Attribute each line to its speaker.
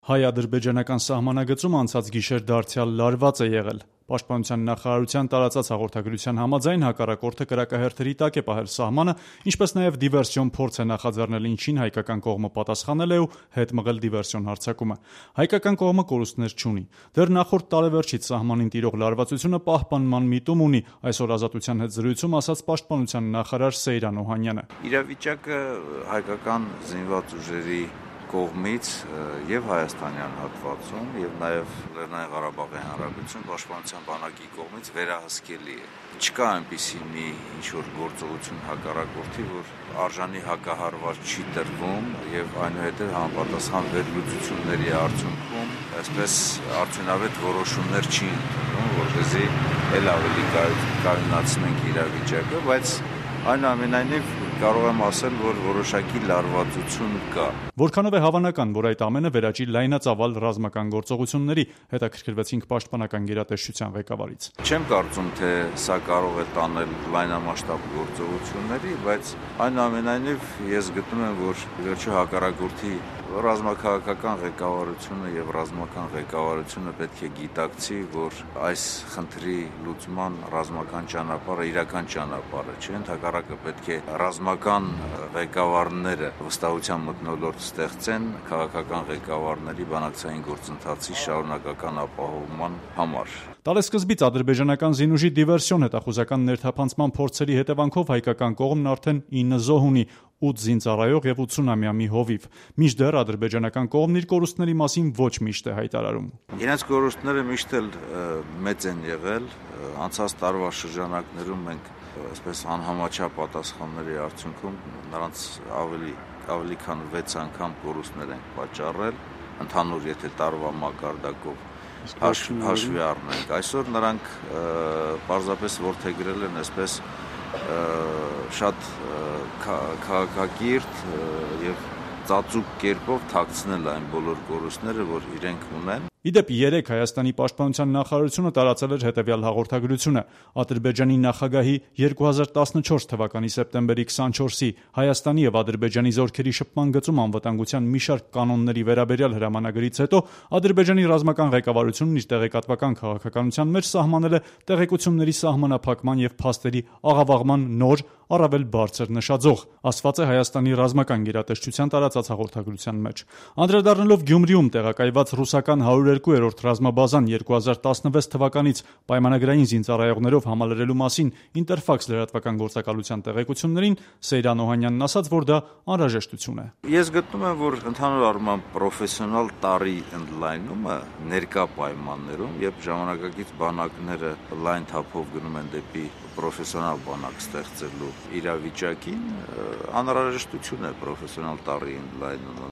Speaker 1: Հայ-ադրբեջանական սահմանագծում անցած գիշեր դարձյալ լարված է եղել։ Պաշտպանության նախարարության տարածած հաղորդագրության համաձայն հակառակորդը կրակահերթերի տակ է պահել սահմանը, ինչպես նաև դիվերսիոն փորձ է նախաձեռնել, ինչին հայկական կողմը պատասխանել է ու հետ մղել դիվերսիոն հարձակումը։ Հայկական կողմը կորուստներ չունի։ Դեռ նախորդ տարեվերջից սահմանին տիրող լարվածությունը պահպանման միտում ունի, այսօր Ազատության հետ զրույցում ասաց Պաշտպանության նախարար Սեյրան Օհանյանը։
Speaker 2: Իրավիճակը հայկական զինված ուժերի կողմից եւ հայաստանյան հատվածում եւ նաեւ Լեռնային Ղարաբաղի Հանրապետություն պաշտպանության բանակի կողմից վերահսկելի է։ Չկա այնպիսի մի ինչ-որ գործողություն հակառակորդի, որ արժանի հակահարված չի տրվում եւ այնուհետեւ համապատասխան վերլուծությունների արդյունքում այսպես արդյունավետ որոշումներ չի ընդունվում, որպեսզի ել ավելի կայունացնենք իրավիճակը, բայց այնուամենայնիվ կարող եմ ասել, որ որոշակի լարվածություն կա։
Speaker 1: Որքանով է հավանական, որ այդ ամենը վերաճի լայնածավալ ռազմական գործողությունների, հետաքրքրվեցինք պաշտպանական գերատեսչության ղեկավարից։
Speaker 2: Չեմ կարծում, թե սա կարող է տանել լայնամասշտաբ գործողությունների, բայց այնուամենայնիվ ես գտնում եմ, որ վերջո հակառակորդի ռազմաքաղաքական ղեկավարությունը եւ ռազմական ղեկավարությունը պետք է գիտակցի, որ այս խնդրի լուծման ռազմական ճանապարհը իրական ճանապարհ չէ, ընդհակառակը պետք է ռազմական ղեկավարները վստահության մթնոլորտ ստեղծեն քաղաքական ղեկավարների բանակցային գործընթացի շարունակական ապահովման համար։
Speaker 1: Տարեսկզբից ադրբեջանական զինուժի դիվերսիոն հետախուզական ներթափանցման փորձերի հետևանքով հայկական կողմն արդեն 9 զոհ ունի, 8 զինծառայող եւ 80-ամյա մի հովիվ։ Մինչդեռ ադրբեջանական կողմն իր կորուստների մասին ոչ միշտ է հայտարարում։
Speaker 2: Իրենց կորուստները միշտ էլ մեծ են եղել, անցած տարվա շրջանակներում մենք այսպես անհամաչափ պատասխանների արդյունքում նրանց ավելի քան 6 անգամ կորուստներ են պատճառել, ընդհանուր եթե տարվա մակարդակով հաշվի առնենք։ Այսօր նրանք պարզապես որդեգրել են այսպես շատ քաղաքակիրթ եւ ծածուկ կերպով թաքցնել այն բոլոր կորուստները, որ իրենք ունեն։
Speaker 1: Իդեպ երեկ Հայաստանի պաշտպանության նախարարությունը տարածել էր հետևյալ հաղորդագրությունը. Ադրբեջանի նախագահի 2014 թվականի սեպտեմբերի 24-ի Հայաստանի եւ Ադրբեջանի զորքերի շփման գծում անվտանգության մի շարք կանոնների վերաբերյալ հրամանագրից հետո Ադրբեջանի ռազմական ղեկավարությունն իր տեղեկատվական քաղաքականության մեջ սահմանել է տեղեկությունների սահմանափակման եւ փաստերի աղավաղման նոր, առավել բարձր նշաձող, ասված է Հայաստանի ռազմական գերատեսչության տարածած հաղորդագրության մեջ։ Անդրադառնալով Գյումրիում տեղակայված ռուսական 102-րդ ռազմաբազան 2016 թվականից պայմանագրային զինծառայողներով համալրելու մասին Ինտերֆաքս լրատվական գործակալության տեղեկություններին Սեյրան Օհանյանն ասաց, որ դա անհրաժեշտություն է։
Speaker 2: Ես գտնում եմ, որ ընդհանուր առմամբ պրոֆեսիոնալ տարի ընդլայնումը ներկա պայմաններում, երբ ժամանակակից բանակները լայն թափով գնում են դեպի պրոֆեսիոնալ բանակ ստեղծելու իրավիճակին, անհրաժեշտություն է պրոֆեսիոնալ տարի ընդլայնումը։